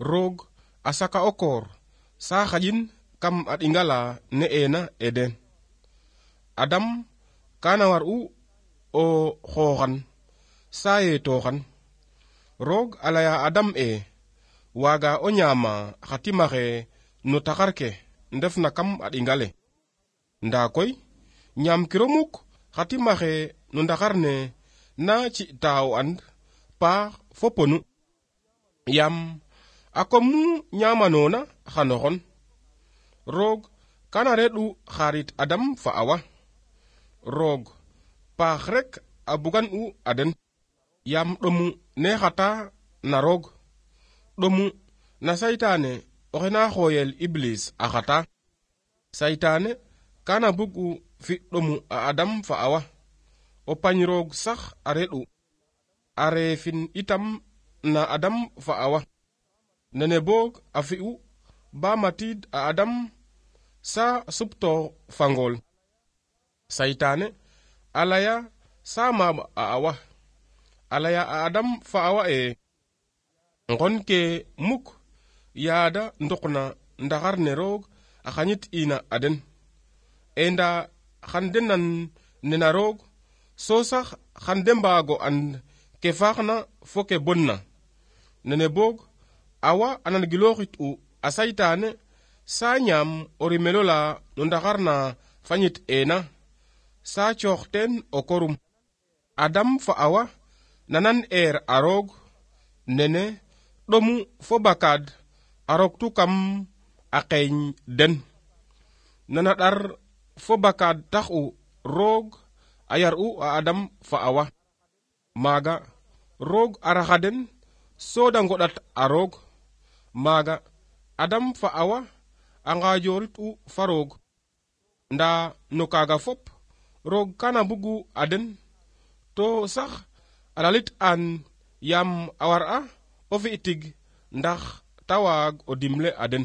roog a saka o koor sa xaƴin kam a ɗingala ne ena eden. Adam kana war'u o xooxan sa yeetoxan. Roog a laya Adam waaga o ñaama xa timaxe no taxar ke ndefna kam a ɗingale. Ndaa koy ñaamkiro mukk xa timaxe no ndaxar ne na ci'ta o and paax fo ponu. Yam a kom nu ñaamanoona xano xon. Roog kana reɗ'u xarit Adam fa Awa. Roog paax rek a bugan u a den. Yam ɗomu ne xata na roog. Ɗomu na saytaane oxe na xooyel Iblis a xata. Saytaane kana bug u fi ɗomu a Adam fa Awa. O pañ roog sax a reɗ'u. A reefin itam na Adam fa Awa. Nene boog a fi'u ba matiid a Adam sa suptoox fa ngool. Saytaane a laya sa maam a Awa. A laya a Adam fa Awa ngon ke muk yaada ndokna ndaxar ne roog a xañit ina a den. Nda xan de nan nena roog so sax xan de mbaago and ke faaxna fo ke bonna. Nene boog Awa a nan gilooxit u a saytaane sa ñaam o rimelo la no ndaxar na fañit ena sa coox teen o korum. Adam fa Awa nanan a roog nene ɗomu fo bakaad a roktu kam a qeeñ den. Nana ɗar fo bakaad tax u roog a yar u a Adam fa Awa. Maaga roog a raxa den so da ngoɗat a roog. Maaga Adam fa Awa a ngaajorit u fa roog. Ndaa no kaaga fop roog kana bugu a den to sax a lalit an yam a war a o fi tig ndax ta waag o dimle a den.